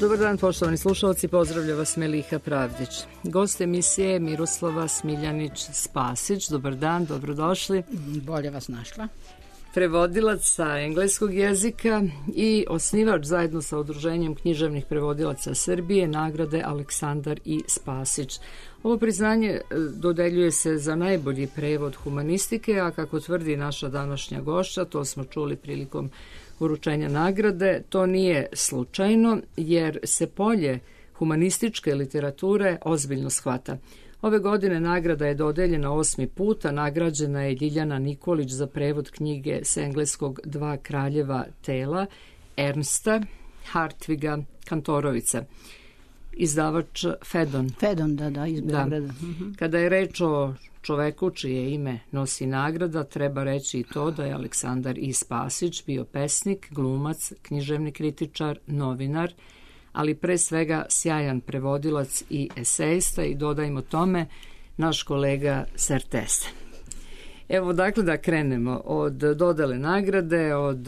Dobar dan, poštovani slušalci, pozdravlja vas Meliha Pravdić. Gost emisije je Miroslava Smiljanić-Spasić. Dobar dan, dobrodošli. Bolje vas našla. Prevodilac sa engleskog jezika i osnivač zajedno sa Udruženjem književnih prevodilaca Srbije nagrade Aleksandar I. Spasić. Ovo priznanje dodeljuje se za najbolji prevod humanistike, a kako tvrdi naša današnja gošća, to smo čuli prilikom uručenja nagrade, to nije slučajno jer se polje humanističke literature ozbiljno shvata. Ove godine nagrada je dodeljena 8. puta, nagrađena je Ljiljana Nikolić za prevod knjige s engleskog Dva kraljeva tela Ernsta Hartviga Kantorovica. Izdavač Fedon. Fedon, da, iz Beograda. Kada je reč o čoveku čije ime nosi nagrada, treba reći i to da je Aleksandar I. Spasić bio pesnik, glumac, književni kritičar, novinar, ali pre svega sjajan prevodilac i esejista i dodajmo tome naš kolega Sertese. Evo dakle da krenemo od dodele nagrade, od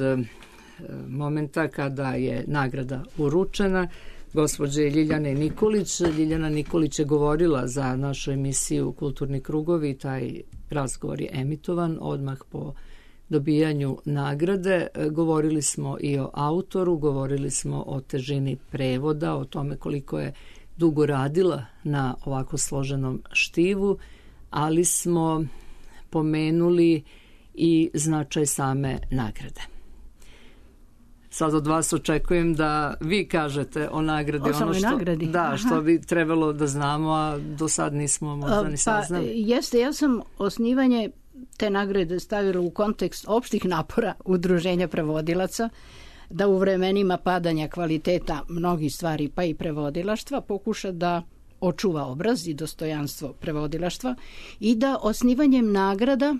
momenta kada je nagrada uručena gospođe Ljiljane Nikolić. Ljiljana Nikolić je govorila za našu emisiju Kulturni krugovi, taj razgovor je emitovan odmah po dobijanju nagrade. Govorili smo i o autoru, govorili smo o težini prevoda, o tome koliko je dugo radila na ovako složenom štivu, ali smo pomenuli i značaj same nagrade. Sad od vas očekujem da vi kažete o nagradi. O nagradi? Da, što bi trebalo da znamo, a do sad nismo možda ni saznali. Jeste, ja sam osnivanje te nagrade stavila u kontekst opštih napora Udruženja prevodilaca, da u vremenima padanja kvaliteta mnogih stvari, pa i prevodilaštva, pokuša da očuva obraz i dostojanstvo prevodilaštva i da osnivanjem nagrada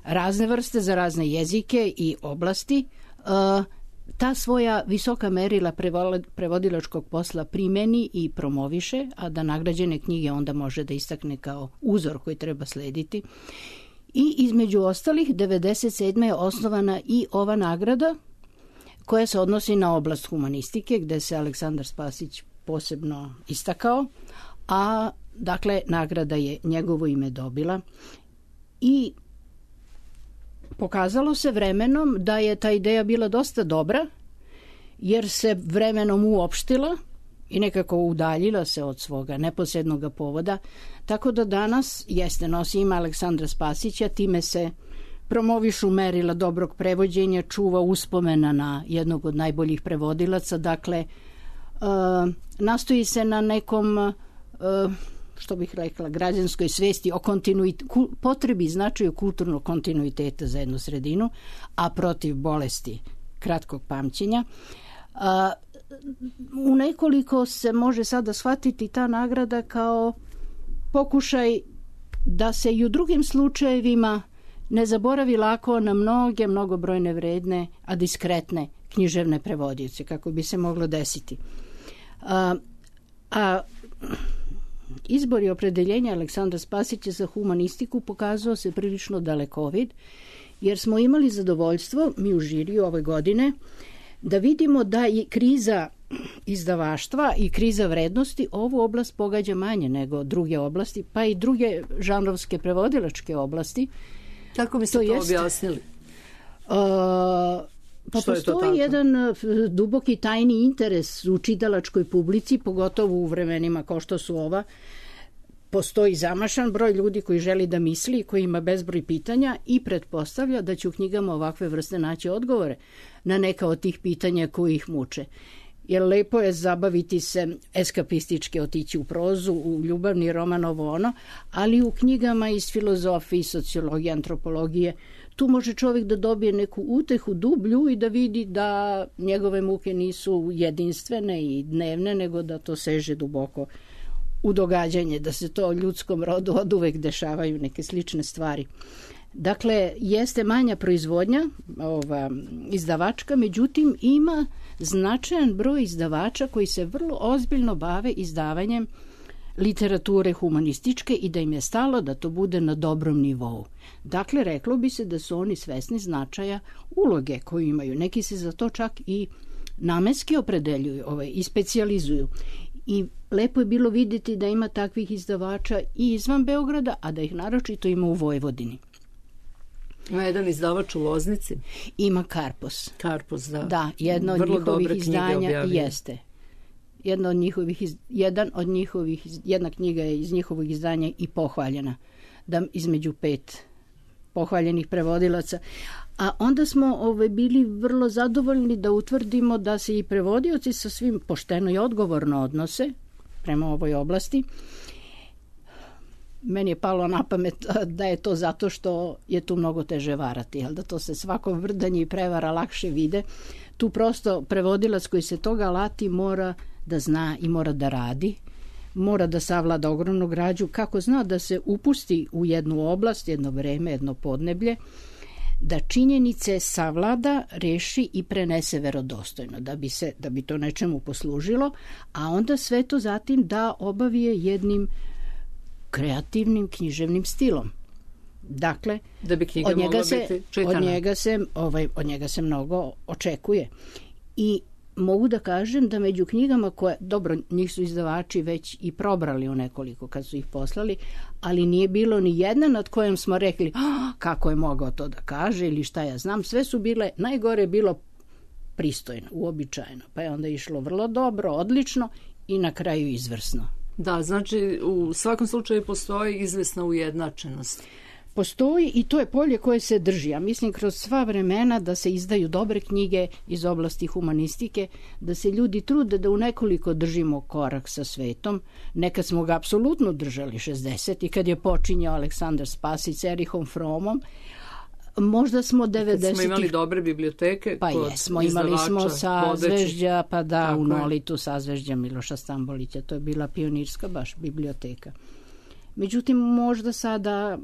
razne vrste za razne jezike i oblasti ta svoja visoka merila prevodilačkog posla primeni i promoviše, a da nagrađene knjige onda može da istakne kao uzor koji treba slediti. I između ostalih 1997. je osnovana i ova nagrada koja se odnosi na oblast humanistike, gde se Aleksandar Spasić posebno istakao, a dakle nagrada je njegovo ime dobila i pokazalo se vremenom da je ta ideja bila dosta dobra, jer se vremenom uopštila i nekako udaljila se od svoga neposrednog povoda, tako da danas nosi ime Aleksandra Spasića, time se promovišu merila dobrog prevođenja, čuva uspomena na jednog od najboljih prevodilaca, dakle nastoji se na nekom što bih rekla, građanskoj svesti o potrebi i značaju kulturnog kontinuiteta za jednu sredinu, a protiv bolesti kratkog pamćenja. U nekoliko se može sada shvatiti ta nagrada kao pokušaj da se i u drugim slučajevima ne zaboravi lako na mnogobrojne vredne, a diskretne književne prevodioce, kako bi se moglo desiti. Izbor i opredeljenja Aleksandra Spasića za humanistiku pokazao se prilično dalekovid, jer smo imali zadovoljstvo, mi u žiriju ove godine, da vidimo da je kriza izdavaštva i kriza vrednosti ovu oblast pogađa manje nego druge oblasti, pa i druge žanrovske prevodilačke oblasti. Kako biste to objasnili? Pa postoji jedan duboki tajni interes u čitalačkoj publici, pogotovo u vremenima kao što su ova. Postoji zamašan broj ljudi koji želi da misli, koji ima bezbroj pitanja i pretpostavlja da će u knjigama ovakve vrste naći odgovore na neka od tih pitanja koji ih muče. Jer lepo je zabaviti se, eskapistički otići u prozu, u ljubavni roman, ovo ono, ali u knjigama iz filozofije, sociologije, antropologije, tu može čovjek da dobije neku utehu dublju i da vidi da njegove muke nisu jedinstvene i dnevne, nego da to seže duboko u događanje, da se to ljudskom rodu oduvek dešavaju neke slične stvari. Dakle, jeste manja proizvodnja izdavačka, međutim ima značajan broj izdavača koji se vrlo ozbiljno bave izdavanjem literature humanističke i da im je stalo da to bude na dobrom nivou. Dakle, reklo bi se da su oni svesni značaja uloge koju imaju. Neki se za to čak i namenski opredeljuju i specijalizuju. I lepo je bilo vidjeti da ima takvih izdavača i izvan Beograda, a da ih naročito ima u Vojvodini. Ima jedan izdavač u Loznici. Ima Karpos. Karpos, da. Da, jedna od njihovih izdanja jeste. Jedna knjiga je iz njihovih izdanja i pohvaljena. Da između 5 pohvaljenih prevodilaca. A onda smo bili vrlo zadovoljni da utvrdimo da se i prevodioci sa svim pošteno i odgovorno odnose prema ovoj oblasti. Meni je palo na pamet da je to zato što je tu mnogo teže varati, da to se svako vrdanje i prevara lakše vide. Tu prosto prevodilac koji se toga lati mora da zna i mora da radi, mora da savlada ogromnu građu, kako zna da se upusti u jednu oblast, jedno vreme, jedno podneblje, da činjenice savlada, reši i prenese verodostojno, da bi to nečemu poslužilo, a onda sve to zatim da obavije jednim kreativnim književnim stilom. Dakle, da bi knjiga mogla biti čitana. Od njega se mnogo očekuje. I mogu da kažem da među knjigama koje, dobro, njih su izdavači već i probrali u nekoliko kad su ih poslali, ali nije bilo ni jedna nad kojom smo rekli kako je mogao to da kaže ili šta ja znam. Sve su bile, najgore je bilo pristojno, uobičajeno. Pa je onda išlo vrlo dobro, odlično i na kraju izvrsno. Da, znači u svakom slučaju postoji izvesna ujednačenost. Postoji i to je polje koje se drži. Ja mislim kroz sva vremena da se izdaju dobre knjige iz oblasti humanistike, da se ljudi trude da u nekoliko držimo korak sa svetom. Nekad smo ga apsolutno držali 60 i kad je počinjao Aleksandar Spasić s Erihom Fromom. Možda smo 90-ih... Kad smo imali dobre biblioteke pa kod jesmo, imali smo Sazvežđa, pa da, u Nolitu Sazvežđa Miloša Stambolića, to je bila pionirska baš biblioteka. Međutim, možda sada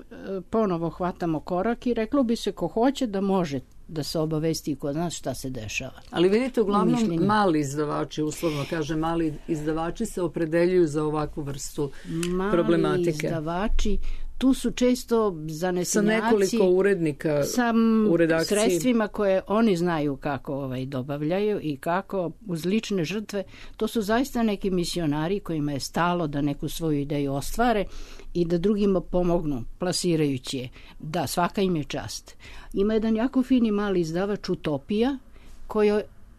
ponovo hvatamo korak i reklo bi se ko hoće da može da se obavesti kod nas šta se dešava. Ali vidite, uglavnom mali izdavači, uslovno kaže, mali izdavači se opredeljuju za ovakvu vrstu problematike. Mali izdavači, tu su često zanesenjaci sa nekoliko urednika u redakciji, sredstvima koje oni znaju kako dobavljaju i kako uz lične žrtve. To su zaista neki misionari kojima je stalo da neku svoju ideju ostvare i da drugima pomognu plasirajući je. Da, svaka im je čast. Ima jedan jako fini mali izdavač Utopija koji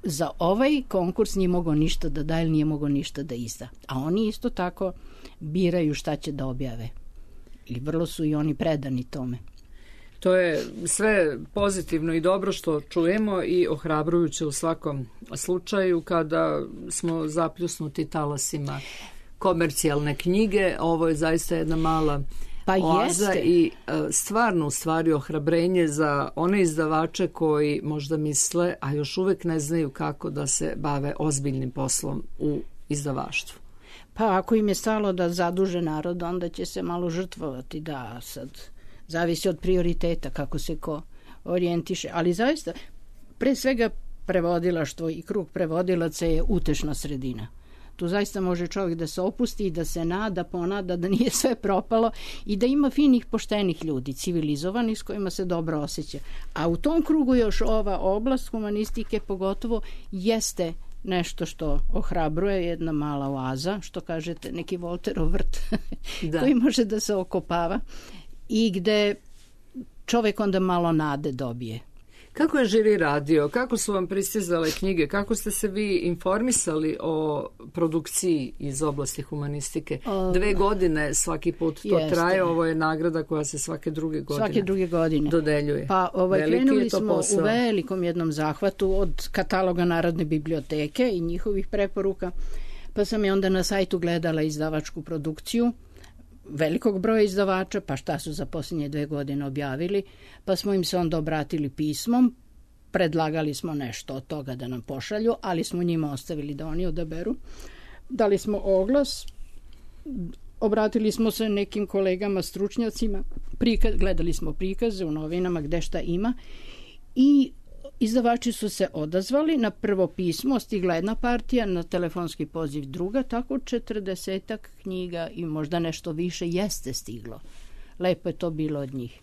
za ovaj konkurs nije mogao ništa da da ili nije mogao ništa da izda. A oni isto tako biraju šta će da objave. I vrlo su i oni predani tome. To je sve pozitivno i dobro što čujemo i ohrabrujuće u svakom slučaju kada smo zapljusnuti talasima komercijalne knjige. Ovo je zaista jedna mala oaza i stvarno u stvari ohrabrenje za one izdavače koji možda misle, a još uvek ne znaju kako da se bave ozbiljnim poslom u izdavaštvu. Pa ako im je stalo da zaduže narod, onda će se malo žrtvovati, da sad zavisi od prioriteta kako se ko orijentiše. Ali zaista, pre svega prevodilaštvo i krug prevodilaca je utešna sredina. Tu zaista može čovjek da se opusti i da se nada, ponada da nije sve propalo i da ima finih, poštenih ljudi, civilizovanih s kojima se dobro osjeća. A u tom krugu još ova oblast humanistike pogotovo jeste nešto što ohrabruje, jedna mala oaza, što kažete, neki Volterov vrt koji može da se okopava i gde čovjek onda malo nade dobije. Kako je žiri radio? Kako su vam pristizale knjige? Kako ste se vi informisali o produkciji iz oblasti humanistike? 2 godine svaki put to traje. Ovo je nagrada koja se svake druge godine dodeljuje. Pa krenuli smo u velikom jednom zahvatu od kataloga Narodne biblioteke i njihovih preporuka. Pa sam je onda na sajtu gledala izdavačku produkciju velikog broja izdavača, pa šta su za posljednje 2 godine objavili, pa smo im se onda obratili pismom, predlagali smo nešto od toga da nam pošalju, ali smo njima ostavili da oni odaberu. Dali smo oglas, obratili smo se nekim kolegama, stručnjacima, gledali smo prikaze u novinama gde šta ima i izdavači su se odazvali. Na prvo pismo stigla jedna partija, na telefonski poziv druga, tako 40-ak knjiga i možda nešto više jeste stiglo. Lepo je to bilo od njih.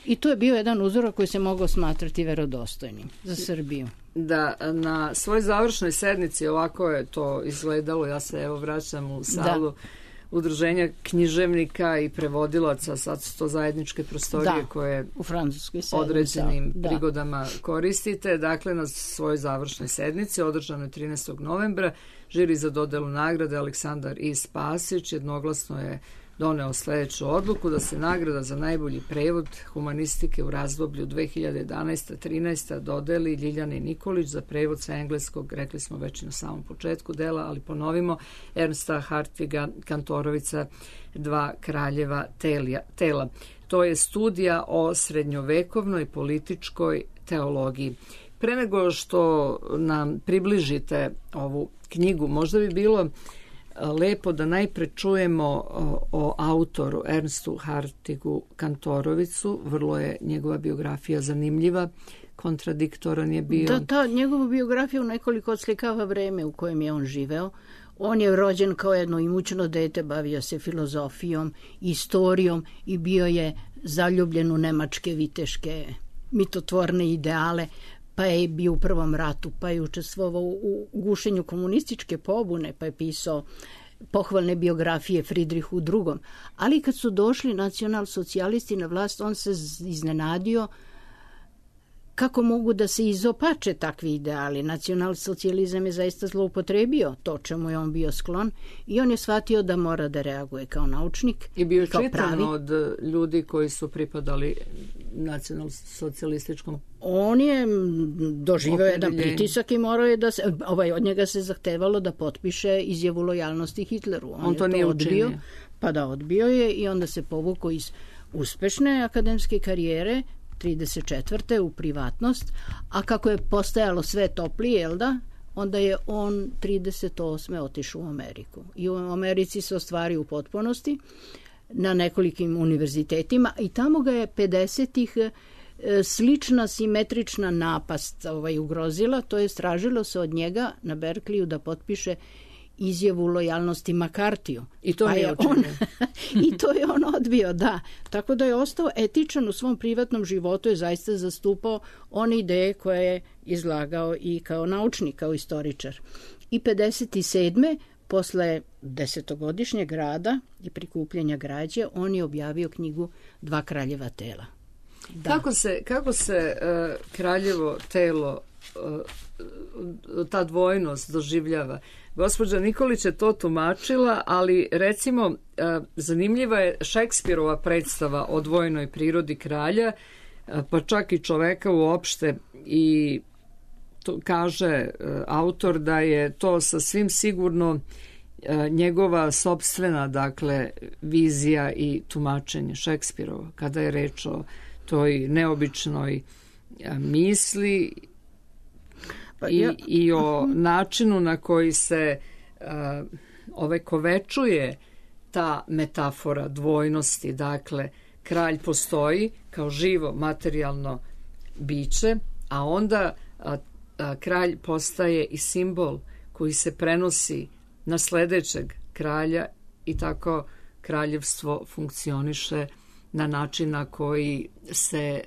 I to je bio jedan uzorak koji se mogao smatrati verodostojnim za Srbiju. Da, na svoj završnoj sednici ovako je to izgledalo, ja se evo vraćam u salu Udruženja književnika i prevodilaca, sad su to zajedničke prostorije koje u Francuskoj određenim prigodama koristite. Dakle, na svojoj završnoj sednici, održanoj 13. novembra, žiri za dodelu nagrade Aleksandar I. Spasić jednoglasno je doneo sledeću odluku da se nagrada za najbolji prevod humanistike u razdoblju 2011-13 dodeli Ljiljani Nikolić za prevod sa engleskog, rekli smo već na samom početku dela, ali ponovimo, Ernsta Hartviga Kantorovica, Dva kraljeva tela. To je studija o srednjovekovnoj političkoj teologiji. Pre nego što nam približite ovu knjigu, možda bi bilo lepo da najpre čujemo o autoru Ernstu Hartigu Kantorovicu. Vrlo je njegova biografija zanimljiva, kontradiktoran je bio. Da, njegova biografija u nekoliko odslikava vreme u kojem je on živeo. On je rođen kao jedno imućno dete, bavio se filozofijom, istorijom i bio je zaljubljen u nemačke viteške mitotvorne ideale, pa je bio u Prvom ratu, pa je učestvovao u gušenju komunističke pobune, pa je pisao pohvalne biografije Fridrihu II. Ali kad su došli nacionalsocijalisti na vlast, on se iznenadio kako mogu da se izopače takvi ideali. Nacionalsocijalizam je zaista zloupotrebio to čemu je on bio sklon i on je shvatio da mora da reaguje kao naučnik. I bio čitan od ljudi koji su pripadali nacionalsocijalističkom. On je doživeo jedan pritisak i morao je da se, od njega se zahtevalo da potpiše izjavu lojalnosti Hitleru. On to nije učinio. Pa da, odbio je i onda se povukao iz uspešne akademske karijere 34. u privatnost, a kako je postajalo sve toplije, jel da, onda je on 38. otišao u Ameriku. I u Americi se ostvario u potpunosti na nekolikim univerzitetima i tamo ga je 50-ih slična simetrična napast ugrozila, to je tražilo se od njega na Berkeliju da potpiše izjavu lojalnosti Makartiju. I to je on I to je on odbio, da. Tako da je ostao etičan u svom privatnom životu, je zaista zastupao one ideje koje je izlagao i kao naučnik, kao istoričar. I 57. posle 10-godišnjeg rada i prikupljanja građe, on je objavio knjigu Dva kraljeva tela. Da. Kako se kraljevo telo, ta dvojnost doživljava? Gospođa Nikolić je to tumačila, ali recimo zanimljiva je Šekspirova predstava o dvojnoj prirodi kralja, pa čak i čoveka uopšte, i to kaže autor da je to sasvim sigurno njegova sopstvena, dakle, vizija i tumačenje Šekspirova, kada je reč o toj neobičnoj misli i o načinu na koji se ovekovečuje ta metafora dvojnosti. Dakle, kralj postoji kao živo materijalno biće, a onda kralj postaje i simbol koji se prenosi na sledećeg kralja i tako kraljevstvo funkcioniše na način na koji se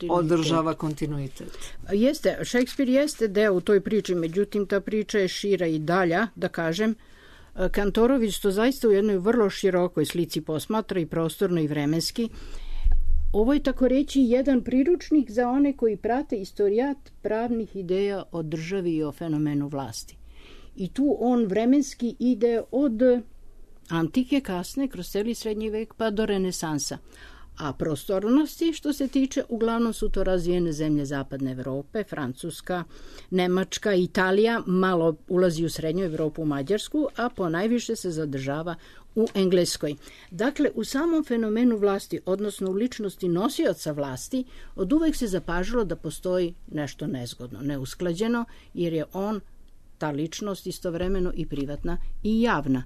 održava kontinuitet. Jeste, Šekspir jeste deo u toj priči, međutim ta priča je šira i dalja, da kažem. Kantorović to zaista u jednoj vrlo širokoj slici posmatra i prostorno i vremenski. Ovo je tako reći jedan priručnik za one koji prate istorijat pravnih ideja o državi i o fenomenu vlasti. I tu on vremenski ide od antike kasne, kroz celi srednji vek, pa do renesansa. A prostornosti, što se tiče, uglavnom su to razvijene zemlje zapadne Evrope, Francuska, Nemačka, Italija, malo ulazi u srednju Evropu, u Mađarsku, a ponajviše se zadržava u Engleskoj. Dakle, u samom fenomenu vlasti, odnosno u ličnosti nosioca vlasti, od uvek se zapažilo da postoji nešto nezgodno, neusklađeno, jer je on, ta ličnost, istovremeno i privatna i javna.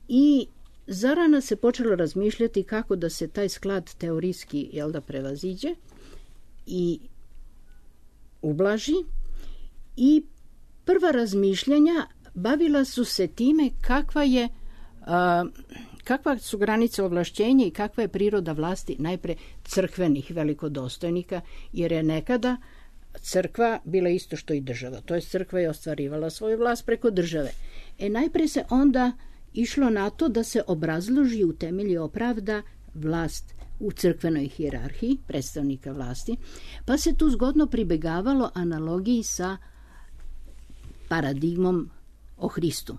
I zarana se počelo razmišljati kako da se taj sklad teorijski, prevaziđe i ublaži. I prva razmišljanja bavila su se time kakva je Kakva su granice ovlašćenja i kakva je priroda vlasti najpre crkvenih velikodostojnika, jer je nekada crkva bila isto što i država. To je crkva je ostvarivala svoju vlast preko države. Najpre se onda išlo na to da se obrazloži, utemelji, opravda vlast u crkvenoj hijerarhiji predstavnika vlasti, pa se tu zgodno pribegavalo analogiji sa paradigmom o Hristu.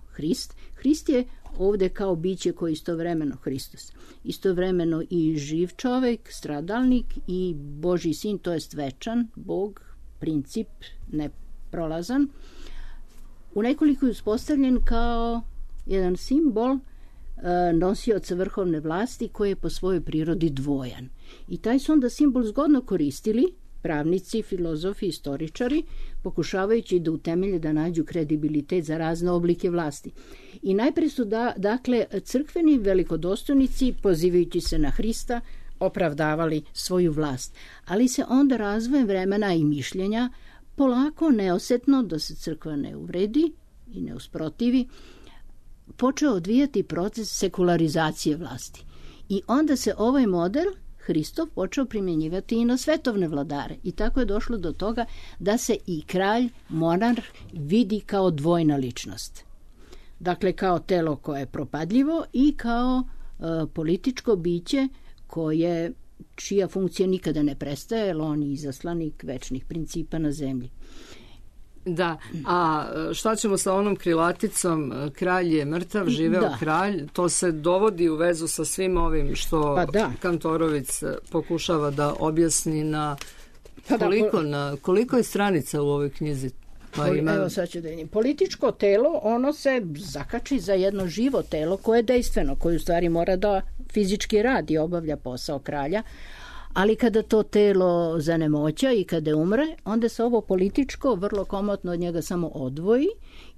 Hrist je ovde kao biće koji istovremeno Hristos, istovremeno i živ čovek, stradalnik i Božji sin, to jest večan Bog, princip neprolazan, u nekoliko je uspostavljen kao jedan simbol nosioca vrhovne vlasti koji je po svojoj prirodi dvojan. I taj su onda simbol zgodno koristili pravnici, filozofi, istoričari, pokušavajući da utemelje, da nađu kredibilitet za razne oblike vlasti. I najpre su dakle crkveni velikodostojnici, pozivajući se na Hrista, opravdavali svoju vlast. Ali se onda razvojem vremena i mišljenja polako, neosetno, da se crkva ne uvredi i ne usprotivi, počeo odvijati proces sekularizacije vlasti. I onda se ovaj model Hristov počeo primjenjivati i na svetovne vladare. I tako je došlo do toga da se i kralj, monarh vidi kao dvojna ličnost. Dakle, kao telo koje je propadljivo i kao političko biće čija funkcija nikada ne prestaje, jer on je izaslanik večnih principa na zemlji. Da, a šta ćemo sa onom krilaticom kralj je mrtav, živeo kralj? To se dovodi u vezu sa svim ovim što Kantorović pokušava da objasni na koliko je stranica u ovoj knjizi? Evo sad ću da vidim. Političko telo, ono se zakači za jedno živo telo koje je dejstveno, koje u stvari mora da fizički radi, obavlja posao kralja, ali kada to telo zanemoća i kada umre, onda se ovo političko vrlo komotno od njega samo odvoji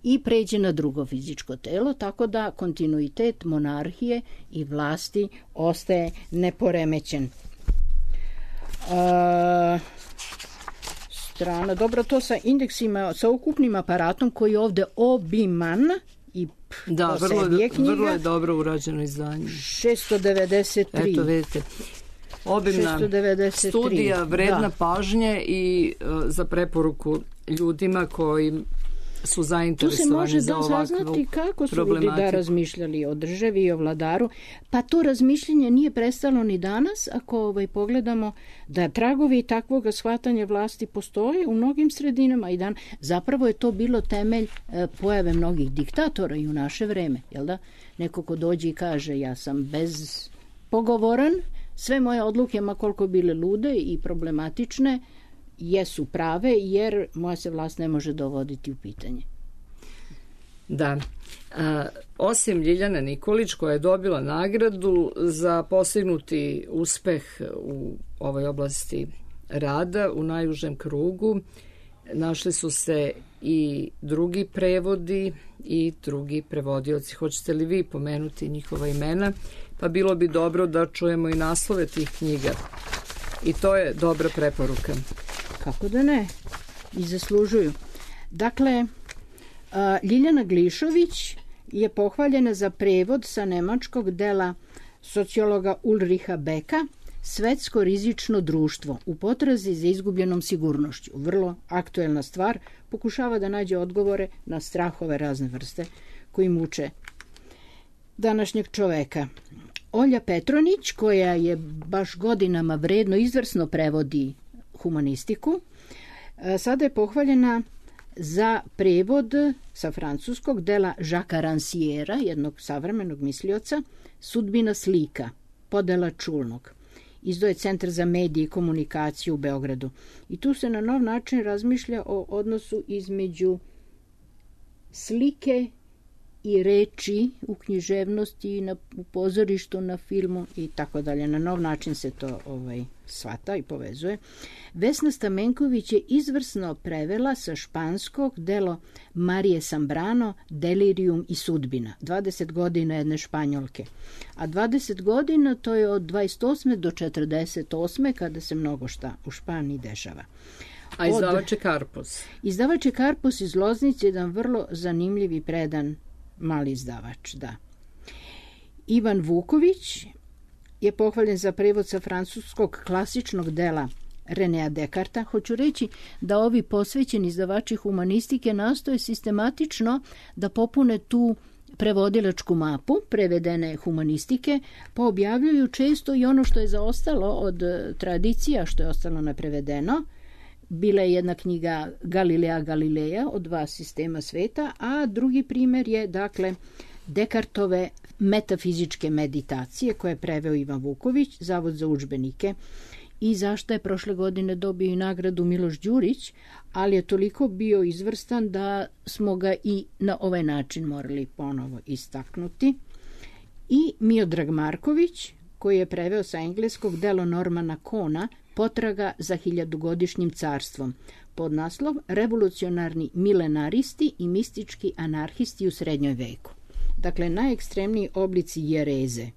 i pređe na drugo fizičko telo, tako da kontinuitet monarhije i vlasti ostaje neporemećen. Strana, dobro, to sa indeksima, sa ukupnim aparatom koji je ovde obiman i vrlo je dobro urađeno izdanje. 693. Eto, vidite. Obimna studija, vredna pažnje i za preporuku ljudima koji su zainteresovani za ovakvu problematiku. Tu se može saznati kako su ljudi razmišljali o državi i o vladaru, pa to razmišljenje nije prestalo ni danas, ako pogledamo da tragovi takvog shvatanja vlasti postoje u mnogim sredinama i dan. Zapravo je to bilo temelj pojave mnogih diktatora i u naše vreme, jel da? Neko ko dođe i kaže ja sam bezpogovoran, sve moje odluke, ma koliko bile lude i problematične, jesu prave, jer moja se vlast ne može dovoditi u pitanje. Da. Osim Ljiljane Nikolić, koja je dobila nagradu za postignuti uspeh u ovoj oblasti rada u najužem krugu, našli su se i drugi prevodi i drugi prevodioci. Hoćete li vi pomenuti njihova imena? Pa bilo bi dobro da čujemo i naslove tih knjiga. I to je dobra preporuka. Kako da ne? I zaslužuju. Dakle, Ljiljana Glišović je pohvaljena za prevod sa nemačkog dela sociologa Ulricha Becka Svetsko rizično društvo u potrazi za izgubljenom sigurnošću. Vrlo aktuelna stvar, pokušava da nađe odgovore na strahove razne vrste koji muče današnjeg čoveka. Olja Petronić, koja je baš godinama vredno izvrsno prevodi humanistiku, sada je pohvaljena za prevod sa francuskog dela Jacquesa Rancièra, jednog savremenog mislioca, Sudbina slika, podela Čulnog. Izdao je Centar za medije i komunikaciju u Beogradu. I tu se na nov način razmišlja o odnosu između slike i reči u književnosti, u pozorištu, na filmu i tako dalje. Na nov način se to shvata i povezuje. Vesna Stamenković je izvrsno prevela sa španskog delo Marije Sambrano Delirium i sudbina. 20 godina jedne Španjolke. A 20 godina to je od 28. do 48. kada se mnogo šta u Španiji dešava. A izdavač je Karpos. Izdavač je Karpos iz Loznice, jedan vrlo zanimljiv i predan mali izdavač, da. Ivan Vuković je pohvaljen za prevod sa francuskog klasičnog dela Renea Descartesa. Hoću reći da ovi posvećeni izdavači humanistike nastoje sistematično da popune tu prevodilačku mapu prevedene humanistike, pa objavljuju često i ono što je zaostalo od tradicija, što je ostalo neprevedeno. Bila je jedna knjiga Galilea Galileja od 2 sistema sveta, a drugi primjer je, dakle, Descartove metafizičke meditacije koje je preveo Ivan Vuković, Zavod za udžbenike, i zašto je prošle godine dobio i nagradu Miloš Đurić, ali je toliko bio izvrstan da smo ga i na ovaj način morali ponovo istaknuti. I Miodrag Marković, koji je preveo sa engleskog delo Normana Kona Potraga za hiljadugodišnjim carstvom, pod naslov Revolucionarni milenaristi i mistički anarhisti u srednjoj veku. Dakle, najekstremniji oblici jereze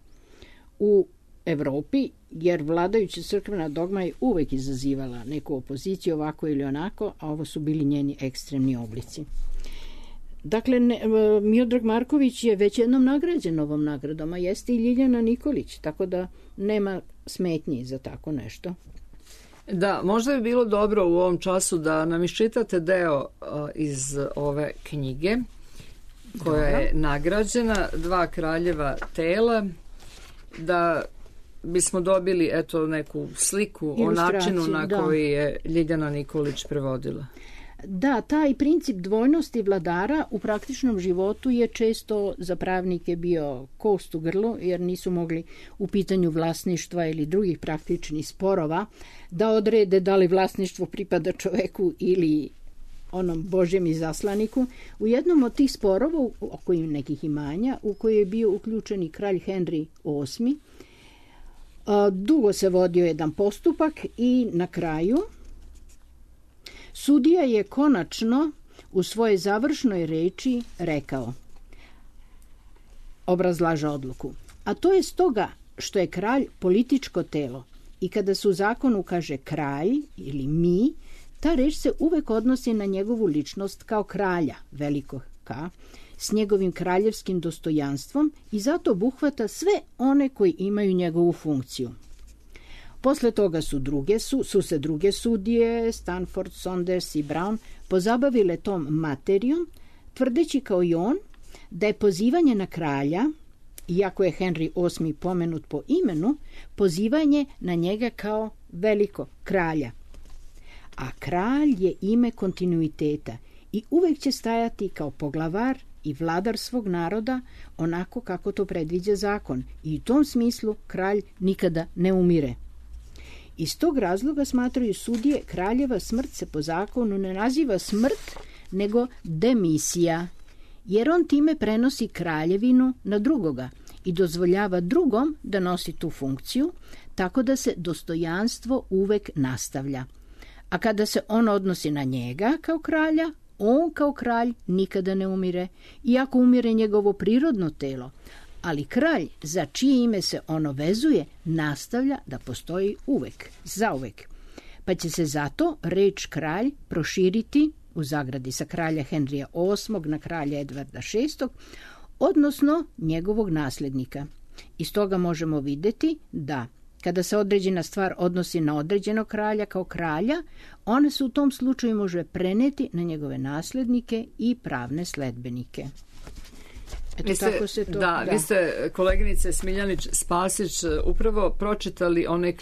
u Evropi, jer vladajuća crkvena dogma je uvek izazivala neku opoziciju ovako ili onako, a ovo su bili njeni ekstremni oblici. Dakle, Miodrag Marković je već jednom nagrađen ovom nagradom, a jeste i Ljiljana Nikolić, tako da nema smetnji za tako nešto. Da, možda bi bilo dobro u ovom času da nam iščitate deo iz ove knjige koja je nagrađena, Dva kraljeva tela, da bismo dobili neku sliku o načinu na koji je Ljiljana Nikolić prevodila. Da, taj princip dvojnosti vladara u praktičnom životu je često za pravnike bio kost u grlu, jer nisu mogli u pitanju vlasništva ili drugih praktičnih sporova da odrede da li vlasništvo pripada čoveku ili onom Božjem izaslaniku. U jednom od tih sporova, oko nekih imanja, u koji je bio uključen i kralj Henry VIII, dugo se vodio jedan postupak i na kraju sudija je konačno u svojoj završnoj reči rekao, obrazlaže odluku, a to je stoga što je kralj političko telo i kada se u zakonu kaže kralj ili mi, ta reč se uvek odnosi na njegovu ličnost kao kralja, velikog K, s njegovim kraljevskim dostojanstvom i zato obuhvata sve one koji imaju njegovu funkciju. Posle toga su se druge sudije, Stanford, Saunders i Brown, pozabavile tom materijom, tvrdeći kao i on da je pozivanje na kralja, iako je Henry VIII pomenut po imenu, pozivanje na njega kao veliko kralja. A kralj je ime kontinuiteta i uvek će stajati kao poglavar i vladar svog naroda onako kako to predviđa zakon i u tom smislu kralj nikada ne umire. Iz tog razloga smatraju sudije kraljeva smrt se po zakonu ne naziva smrt nego demisija, jer on time prenosi kraljevinu na drugoga i dozvoljava drugom da nosi tu funkciju, tako da se dostojanstvo uvek nastavlja. A kada se on odnosi na njega kao kralja, on kao kralj nikada ne umire, iako umire njegovo prirodno telo, ali kralj za čije ime se ono vezuje nastavlja da postoji uvek, zauvek. Pa će se zato reč kralj proširiti u zagradi sa kralja Henrija VIII na kralja Edvarda VI, odnosno njegovog nasljednika. Iz toga možemo vidjeti da kada se određena stvar odnosi na određenog kralja kao kralja, ona se u tom slučaju može preneti na njegove nasljednike i pravne sledbenike. Vi ste, koleginice Smiljanić Spasić, upravo pročitali onaj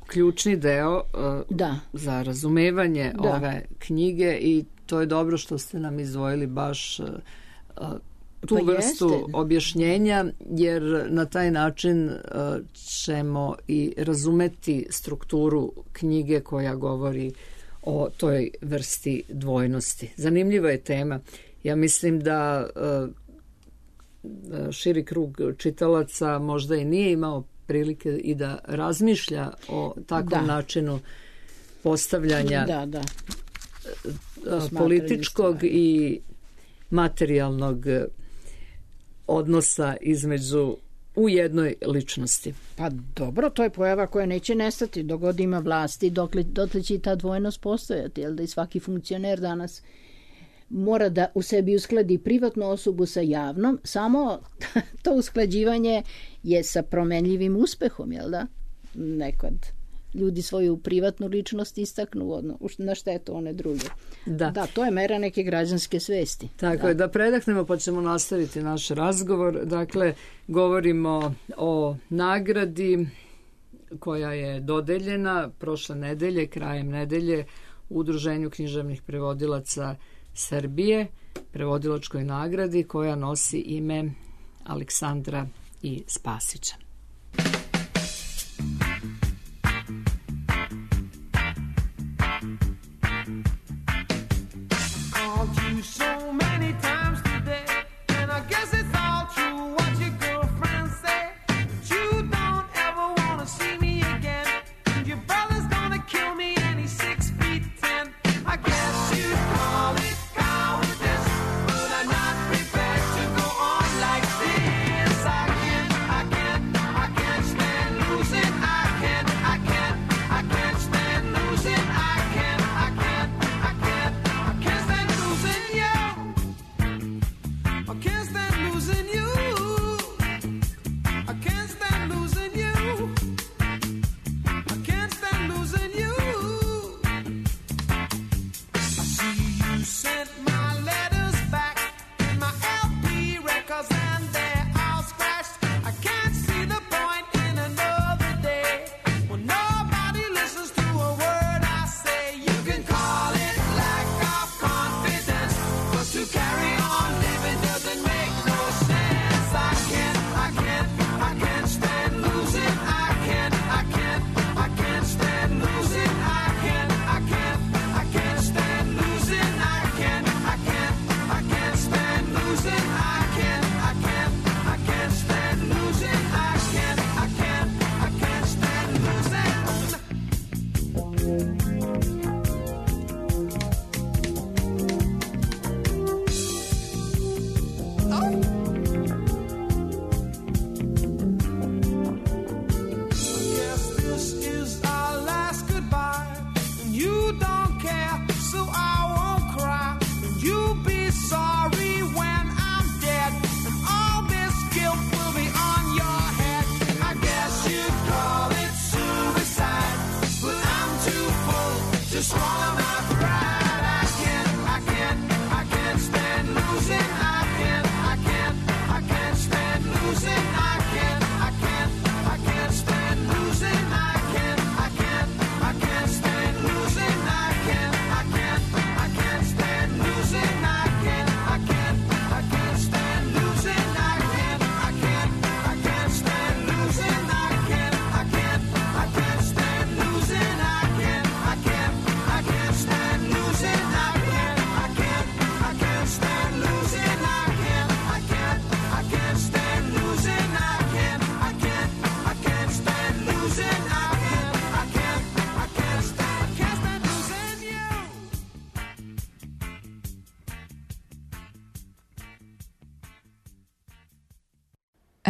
ključni deo za razumevanje ove knjige i to je dobro što ste nam izdvojili baš tu vrstu objašnjenja, jer na taj način ćemo i razumeti strukturu knjige koja govori o toj vrsti dvojnosti. Zanimljiva je tema. Ja mislim da širi krug čitalaca možda i nije imao prilike i da razmišlja o takvom načinu postavljanja političkog i materijalnog odnosa između u jednoj ličnosti. Pa dobro, to je pojava koja neće nestati dok god ima vlasti, dotle će i ta dvojnost postojati, jel da i svaki funkcioner danas mora da u sebi uskladi privatnu osobu sa javnom, samo to usklađivanje je sa promenljivim uspehom, jel da? Nekad ljudi svoju privatnu ličnost istaknu na štetu one druge. Da, to je mera neke građanske svesti. Tako je, da predahnemo pa ćemo nastaviti naš razgovor. Dakle, govorimo o nagradi koja je dodeljena prošle nedelje, krajem nedelje, u Udruženju književnih prevodilaca Srbije, prevodilačkoj nagradi koja nosi ime Aleksandra I. Spasića.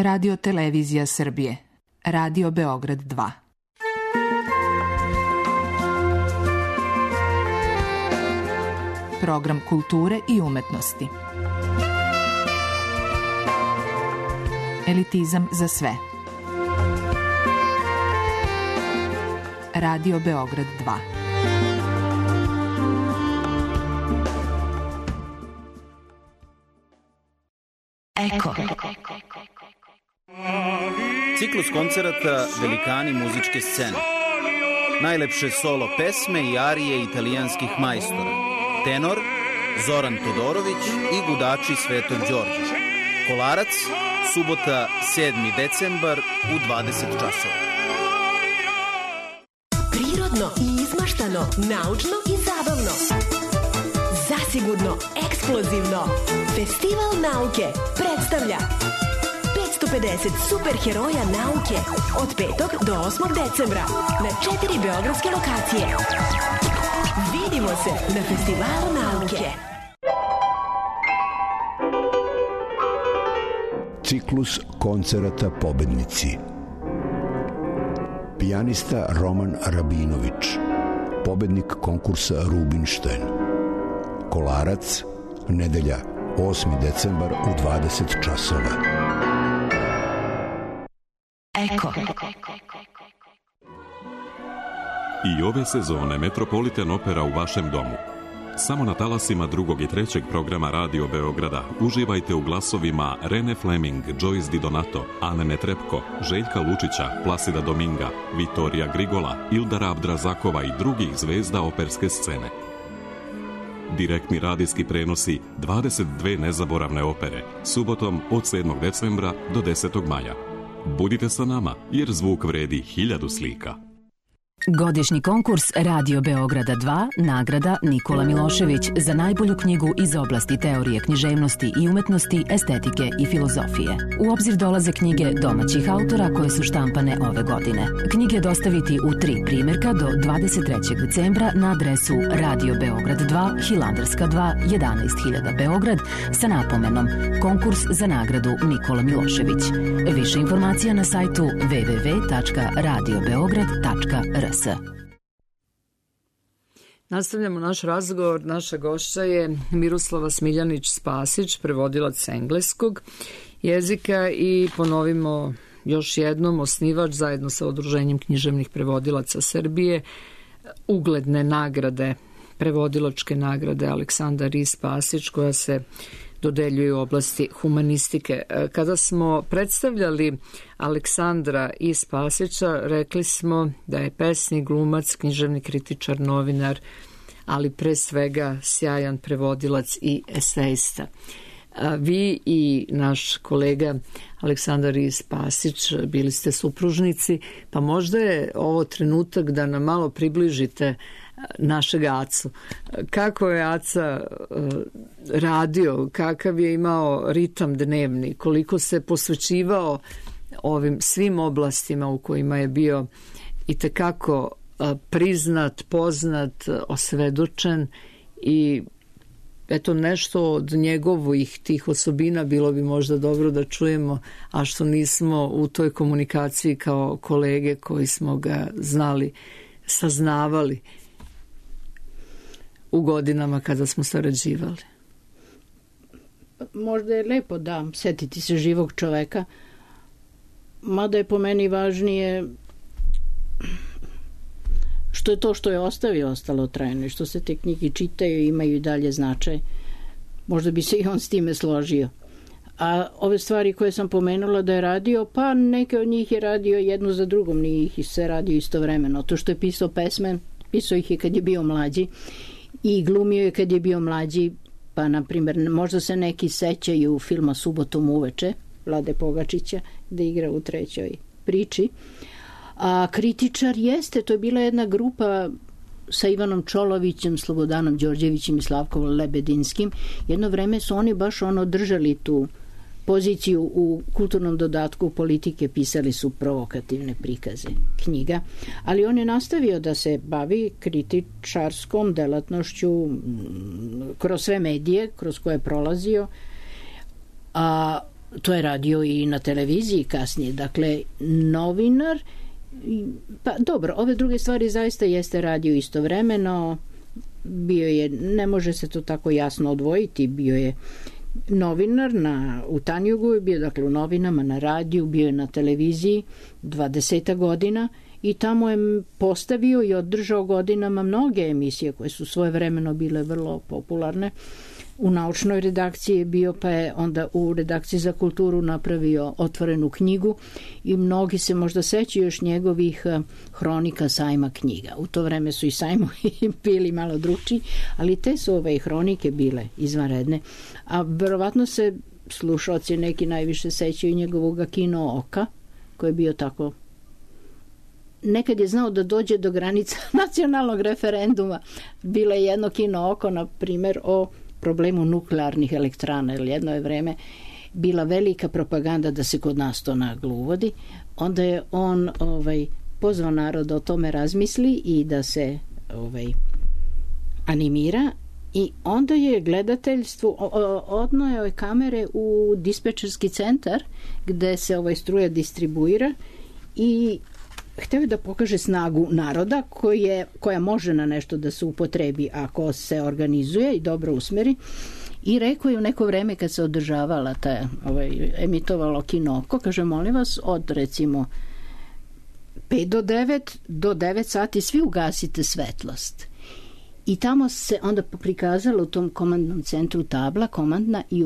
Radio Televizija Srbije. Radio Beograd 2. Program kulture i umetnosti. Elitizam za sve. Radio Beograd 2. Eko. Ciklus koncerata Velikani muzičke scene. Najlepše solo pesme i arije italijanskih majstora. Tenor Zoran Todorović i gudači Svetog Đorđa. Kolarac, subota 7. decembar u 20 časova. Prirodno i izmaštano, naučno i zabavno. Zasigurno eksplozivno. Festival nauke predstavlja 550 superheroja nauke od 5. do 8. decembra na 4 beogradske lokacije. Vidimo se na Festivalu nauke. Ciklus koncerata pobednici. Pijanista Roman Rabinović, pobednik konkursa Rubinštajn. Kolarac nedelja, 8. decembar u 20 časova. Eko. I ove sezone Metropolitan Opera u vašem domu. Samo na talasima 2. i 3. programa Radio Beograda uživajte u glasovima Rene Fleming, Joyce Di Donato, Ane Netrebko, Željka Lučića, Plasida Dominga, Vitorija Grigola, Ildara Abdrazakova i drugih zvezda operske scene. Direktni radijski prenosi 22 nezaboravne opere, subotom od 7. decembra do 10. maja. Budite sa nama, jer zvuk vredi 1000 slika. Godišnji konkurs Radio Beograda 2, nagrada Nikola Milošević za najbolju knjigu iz oblasti teorije književnosti i umetnosti, estetike i filozofije. U obzir dolaze knjige domaćih autora koje su štampane ove godine. Knjige dostaviti u 3 primjerka do 23. decembra na adresu Radio Beograd 2, Hilandarska 2, 11.000 Beograd sa napomenom Konkurs za nagradu Nikola Milošević. Više informacija na sajtu www.radiobeograd.rs. Nastavljamo naš razgovor. Naša gošća je Miroslava Smiljanić-Spasić, prevodilac s engleskog jezika i ponovimo još jednom, osnivač zajedno sa Udruženjem književnih prevodilaca Srbije ugledne nagrade, prevodilačke nagrade Aleksandar I. Spasić, koja se dodeljuje u oblasti humanistike. Kada smo predstavljali Aleksandra I. Spasića, rekli smo da je pesnik, glumac, književni kritičar, novinar, ali pre svega sjajan prevodilac i esejista. Vi i naš kolega Aleksandar I. Spasić bili ste supružnici, pa možda je ovo trenutak da nam malo približite našeg Acu. Kako je Aca radio, kakav je imao ritam dnevni, koliko se posvećivao ovim svim oblastima u kojima je bio itekako priznat, poznat, osvedočen i eto nešto od njegovih tih osobina bilo bi možda dobro da čujemo, a što nismo u toj komunikaciji kao kolege koji smo ga znali, saznavali u godinama kada smo sarađivali. Možda je lepo da setiti se živog čoveka, mada je po meni važnije što je to što je ostavio ostalo trajno i što se te knjige čitaju i imaju i dalje značaj. Možda bi se i on s time složio. A ove stvari koje sam pomenula da je radio, pa neke od njih je radio jednu za drugom, nije ih se radio istovremeno. To što je pisao pesme, pisao ih je kad je bio mlađi i glumio je kad je bio mlađi, pa na primjer možda se neki sećaju filma Subotom uveče Vlade Pogačića gde igra u 3. priči. A kritičar jeste, to je bila jedna grupa sa Ivanom Čolovićem, Slobodanom Đorđevićem i Slavkom Lebedinskim. Jedno vreme su oni baš držali tu poziciju u kulturnom dodatku politike, pisali su provokativne prikaze knjiga, ali on je nastavio da se bavi kritičarskom delatnošću kroz sve medije kroz koje je prolazio, a to je radio i na televiziji kasnije, dakle novinar. Pa dobro, ove druge stvari zaista jeste radio istovremeno, bio je, ne može se to tako jasno odvojiti, bio je novinar u Tanjugu, je bio dakle u novinama, na radiju, bio je na televiziji 20 godina i tamo je postavio i održao godinama mnoge emisije koje su svojevremeno bile vrlo popularne. U naučnoj redakciji je bio, pa je onda u redakciji za kulturu napravio Otvorenu knjigu i mnogi se možda sećaju još njegovih hronika sajma knjiga. U to vreme su i sajmovi bili malo drugčiji, ali te su ove hronike bile izvanredne. A verovatno se slušaoci neki najviše sećaju njegovog Kino oka, koji je bio tako. Nekad je znao da dođe do granica nacionalnog referenduma. Bilo je jedno Kino oko, na primjer, o problemu nuklearnih elektrana, jer jedno je vreme bila velika propaganda da se kod nas to naglo uvodi. Onda je on pozvao narod da o tome razmisli i da se animira i onda je gledateljstvu odnojao je kamere u dispečerski centar gde se struja distribuira i hteo je da pokaže snagu naroda koja može na nešto da se upotrebi ako se organizuje i dobro usmeri. I rekao je u neko vreme kad se održavala emitovalo Kinoko, kaže, molim vas, od recimo 5 do 9 sati svi ugasite svetlost. I tamo se onda prikazala u tom komandnom centru tabla komandna i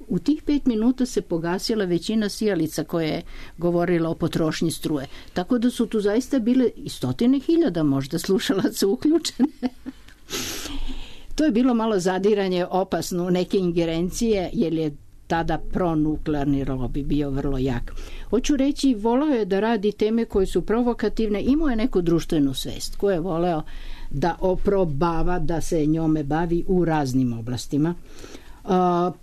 u tih 5 minuta se pogasila većina sijalica koja je govorila o potrošnji struje. Tako da su tu zaista bile i 100.000 možda slušalaca uključene. To je bilo malo zadiranje opasno u neke ingerencije, jer je tada pronuklearni lobby bio vrlo jak. Hoću reći, voleo je da radi teme koje su provokativne, imao je neku društvenu svest koju je voleo da oprobava, da se njome bavi u raznim oblastima.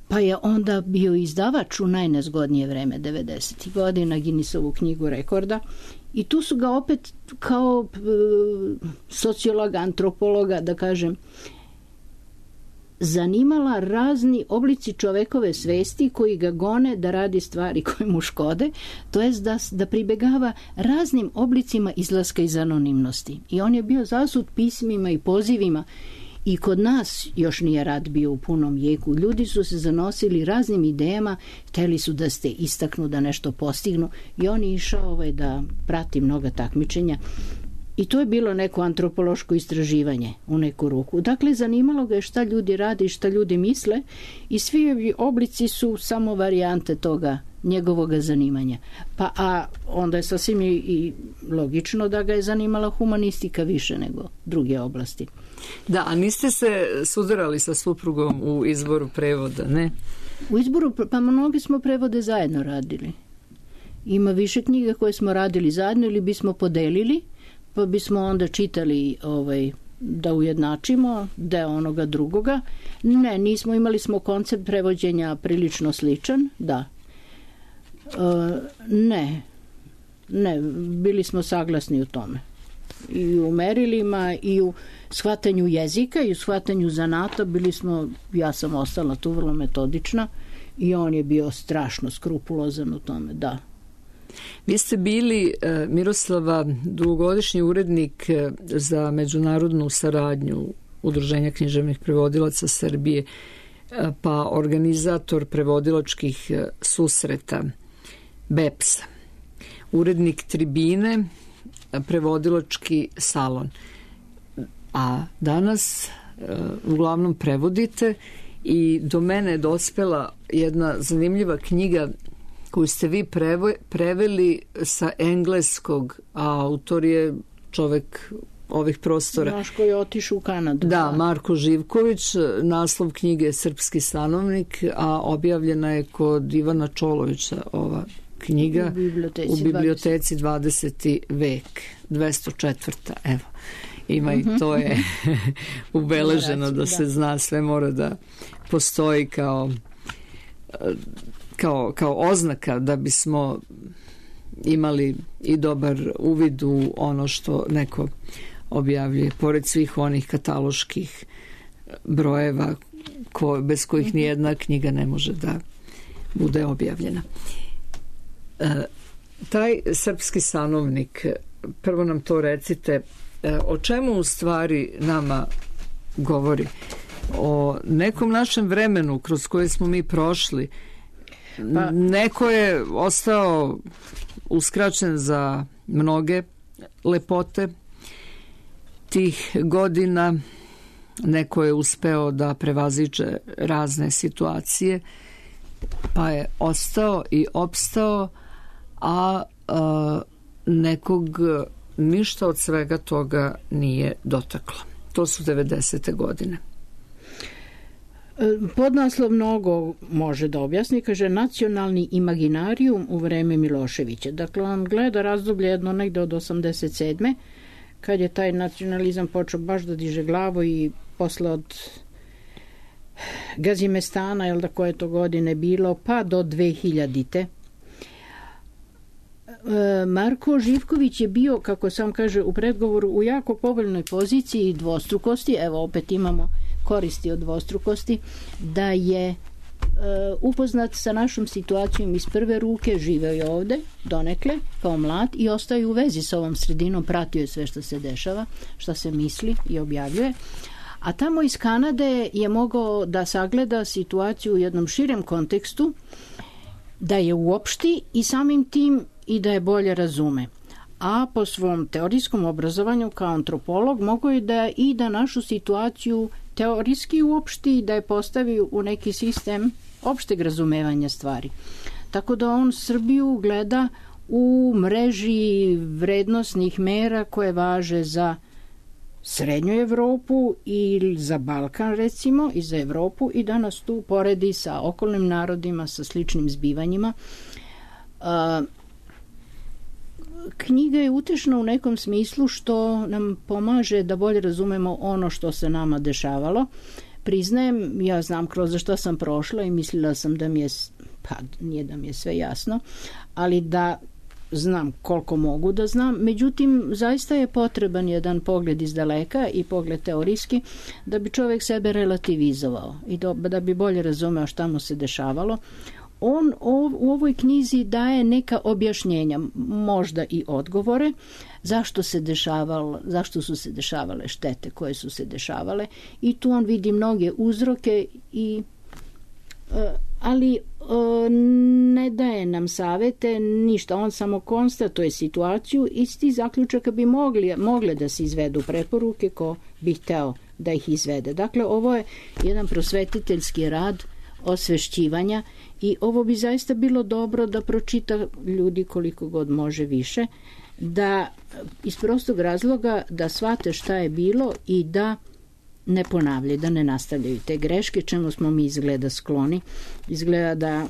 Pa je onda bio izdavač u najnezgodnije vreme 90. godina, Guinnessovu knjigu rekorda, i tu su ga opet kao sociologa, antropologa, da kažem, zanimala razni oblici čovekove svesti koji ga gone da radi stvari koje mu škode, to jest da pribegava raznim oblicima izlaska iz anonimnosti. I on je bio zasut pismima i pozivima. I kod nas još nije rat bio u punom jeku. Ljudi su se zanosili raznim idejama, hteli su da se istaknu, da nešto postignu, i on je išao da prati mnoga takmičenja. I to je bilo neko antropološko istraživanje u neku ruku. Dakle, zanimalo ga je šta ljudi rade i šta ljudi misle, i svi oblici su samo varijante toga njegovoga zanimanja. A onda je sasvim i logično da ga je zanimala humanistika više nego druge oblasti. Da, a niste se sudarali sa suprugom u izboru prevoda, ne? U izboru, pa mnogi smo prevode zajedno radili. Ima više knjiga koje smo radili zajedno ili bismo podelili, pa bismo onda čitali da ujednačimo deo onoga drugoga. Ne, nismo, imali smo koncept prevođenja prilično sličan, da. Ne, bili smo saglasni u tome. I u merilima, i u shvatanju jezika, i u shvatanju zanata ja sam ostala tu vrlo metodična, i on je bio strašno skrupulozan u tome, da. Vi ste bili, Miroslava, dugogodišnji urednik za međunarodnu saradnju Udruženja književnih prevodilaca Srbije, pa organizator prevodilačkih susreta BEPS-a, urednik Tribine, prevodilački salon. A danas uglavnom prevodite, i do mene je dospela jedna zanimljiva knjiga koju ste vi preveli sa engleskog, a autor je čovek ovih prostora. Naš koji je otišao u Kanadu. Da, Marko Živković, naslov knjige Srpski stanovnik, a objavljena je kod Ivana Čolovića ova knjiga u biblioteci 20. vek, 204. Evo, ima i to je ubeleženo da se zna, sve mora da postoji kao oznaka da bismo imali i dobar uvid u ono što neko objavljuje, pored svih onih kataloških brojeva bez kojih nijedna knjiga ne može da bude objavljena. Taj Srpski stanovnik, prvo nam to recite, o čemu u stvari nama govori? O nekom našem vremenu kroz koje smo mi prošli. Neko je ostao uskraćen za mnoge lepote tih godina, neko je uspeo da prevaziđe razne situacije, pa je ostao i opstao, a nekog ništa od svega toga nije dotaklo. To su 90. godine. Podnaslov mnogo može da objasni, kaže nacionalni imaginarijum u vreme Miloševića. Dakle, on gleda razdoblje jedno negde od 87. kad je taj nacionalizam počeo baš da diže glavu, i posle od Gazimestana, jel da koje to godine bilo, pa do 2000. Marko Živković je bio, kako sam kaže u predgovoru, u jako povoljnoj poziciji dvostrukosti. Evo, opet imamo koristi od dvostrukosti, da je upoznat sa našom situacijom iz prve ruke, živeo je ovde donekle kao mlad i ostaje u vezi sa ovom sredinom, pratio je sve što se dešava, šta se misli i objavljuje. A tamo iz Kanade je mogao da sagleda situaciju u jednom širem kontekstu, da je uopšti i samim tim i da je bolje razume. A po svom teorijskom obrazovanju kao antropolog mogao je da našu situaciju teorijski uopšti i da je postavi u neki sistem opšteg razumevanja stvari. Tako da on Srbiju gleda u mreži vrednosnih mera koje važe za Srednju Evropu i za Balkan recimo i za Evropu i da nas tu poredi sa okolnim narodima, sa sličnim zbivanjima. Knjiga je utešna u nekom smislu što nam pomaže da bolje razumemo ono što se nama dešavalo. Priznajem, ja znam kroz što sam prošla i mislila sam da mi je, pa nije da mi je sve jasno, ali da znam koliko mogu da znam. Međutim, zaista je potreban jedan pogled iz daleka i pogled teorijski da bi čovjek sebe relativizovao i da bi bolje razumeo šta mu se dešavalo. On u ovoj knjizi daje neka objašnjenja, možda i odgovore, zašto su se dešavale štete koje su se dešavale i tu on vidi mnoge uzroke ali ne daje nam savete, ništa, on samo konstatuje situaciju i iz tih zaključaka bi mogle da se izvedu preporuke ko bi hteo da ih izvede. Dakle, ovo je jedan prosvetiteljski rad osvešćivanja i ovo bi zaista bilo dobro da pročita ljudi koliko god može više, da iz prostog razloga da shvate šta je bilo i da ne ponavljaju, da ne nastavljaju te greške, čemu smo mi izgleda skloni. Izgleda da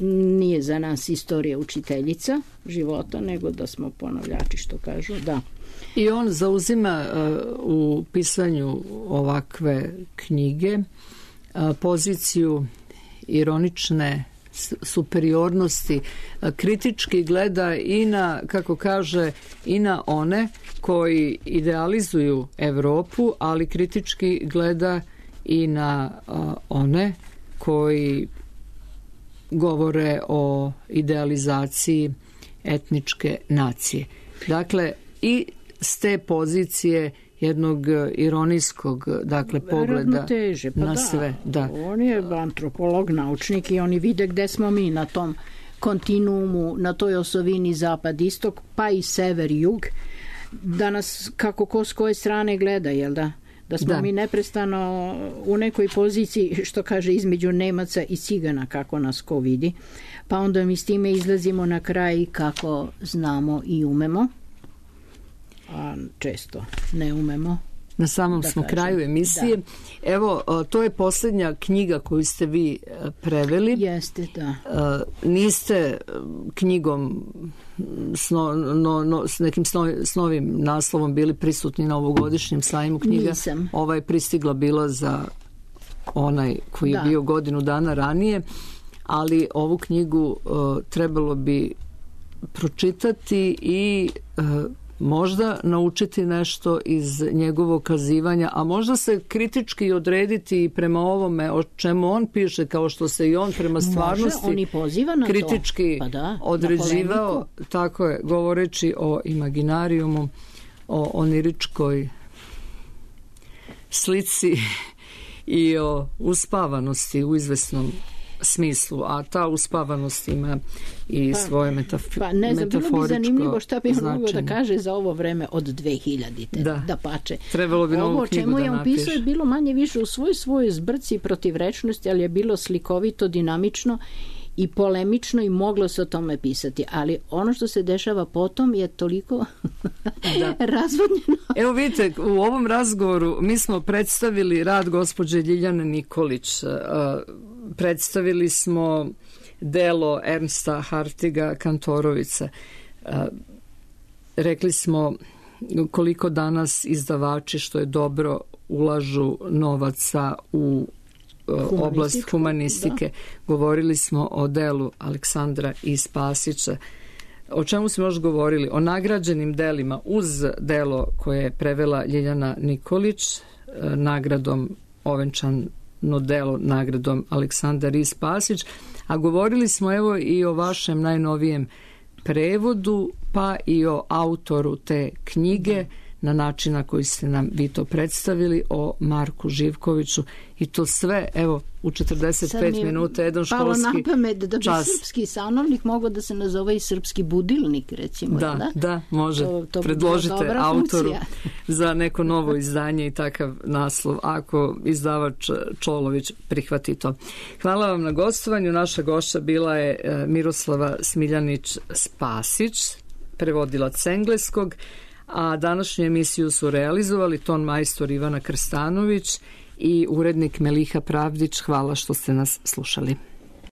nije za nas istorija učiteljica života, nego da smo ponavljači, što kažu, da. I on zauzima u pisanju ovakve knjige poziciju ironične superiornosti, kritički gleda i na, kako kaže, i na one koji idealizuju Evropu, ali kritički gleda i na one koji govore o idealizaciji etničke nacije. Dakle, i s te pozicije jednog ironijskog, dakle, pogleda na sve. Da. On je antropolog, naučnik i oni vide gde smo mi na tom kontinuumu, na toj osovini zapad-istok, pa i sever-jug, da nas kako ko s koje strane gleda, jel da? Da smo mi neprestano u nekoj poziciji, što kaže, između Nemaca i Cigana, kako nas ko vidi, pa onda mi s time izlazimo na kraj kako znamo i umemo, a često ne umemo. Na samom smo kraju emisije. Da. Evo, to je posljednja knjiga koju ste vi preveli. Jeste, da. Niste knjigom s nekim novim naslovom bili prisutni na ovogodišnjem sajmu knjiga. Nisam. Ova je pristigla bila za onaj koji je bio godinu dana ranije, ali ovu knjigu trebalo bi pročitati i možda naučiti nešto iz njegovog kazivanja, a možda se kritički odrediti prema ovome o čemu on piše, kao što se i on prema stvarnosti on i poziva na kritički određivao, tako je, govoreći o imaginarijumu, o oniričkoj slici i o uspavanosti u izvesnom smislu, a ta uspavanost ima i svoje metaforičko ne znam, bilo bi zanimljivo šta bi on mogao da kaže za ovo vreme od 2000-te, da pače. Trebalo bi novu knjigu da napiše. Ovo čemu je on pisao je bilo manje više u svojoj zbrci protivrečnosti, ali je bilo slikovito, dinamično i polemično i moglo se o tome pisati, ali ono što se dešava potom je toliko razvodnjeno. Evo vidite, u ovom razgovoru mi smo predstavili rad gospođe Ljiljane Nikolić, predstavili smo delo Ernsta Hartiga Kantorovića. Rekli smo koliko danas izdavači, što je dobro, ulažu novaca u oblast humanistike. Govorili smo o delu Aleksandra I. Spasića. O čemu smo još govorili? O nagrađenim delima uz delo koje je prevela Ljiljana Nikolić, nagradom ovenčano delo nagradom Aleksandar I. Spasić, a govorili smo evo i o vašem najnovijem prevodu, pa i o autoru te knjige. na način na koji ste nam vi to predstavili, o Marku Živkoviću, i to sve, evo, u 45 minuta, jedan školski čas. Palo na pamet da bi srpski sanovnik mogao da se nazove i srpski budilnik, recimo. Da, može. To predložite autoru za neko novo izdanje i takav naslov, ako izdavač Čolović prihvati to. Hvala vam na gostovanju. Naša gošća bila je Miroslava Smiljanić-Spasić, prevodilac engleskog, a današnju emisiju su realizovali ton majstor Ivana Krstanović i urednik Meliha Pravdić. Hvala što ste nas slušali.